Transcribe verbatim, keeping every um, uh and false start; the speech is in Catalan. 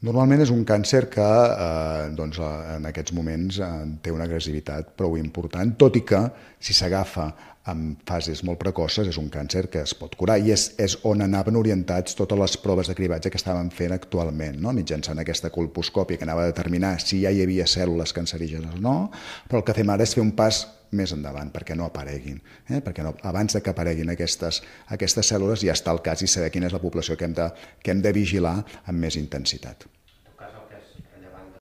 Normalment és un càncer que eh, doncs, eh, en aquests moments eh, té una agressivitat prou important, tot i que si s'agafa en fases molt precoces és un càncer que es pot curar i és, és on anaven orientats totes les proves de cribatge que estaven fent actualment, no? Mitjançant aquesta colposcòpia que anava a determinar si ja hi havia cèl·lules cancerígenes o no, però el que fem ara és fer un pas més endavant perquè no apareguin, eh? perquè no, abans de que apareguin aquestes, aquestes cèl·lules ja està el cas i saber quina és la població que hem de, que hem de vigilar amb més intensitat.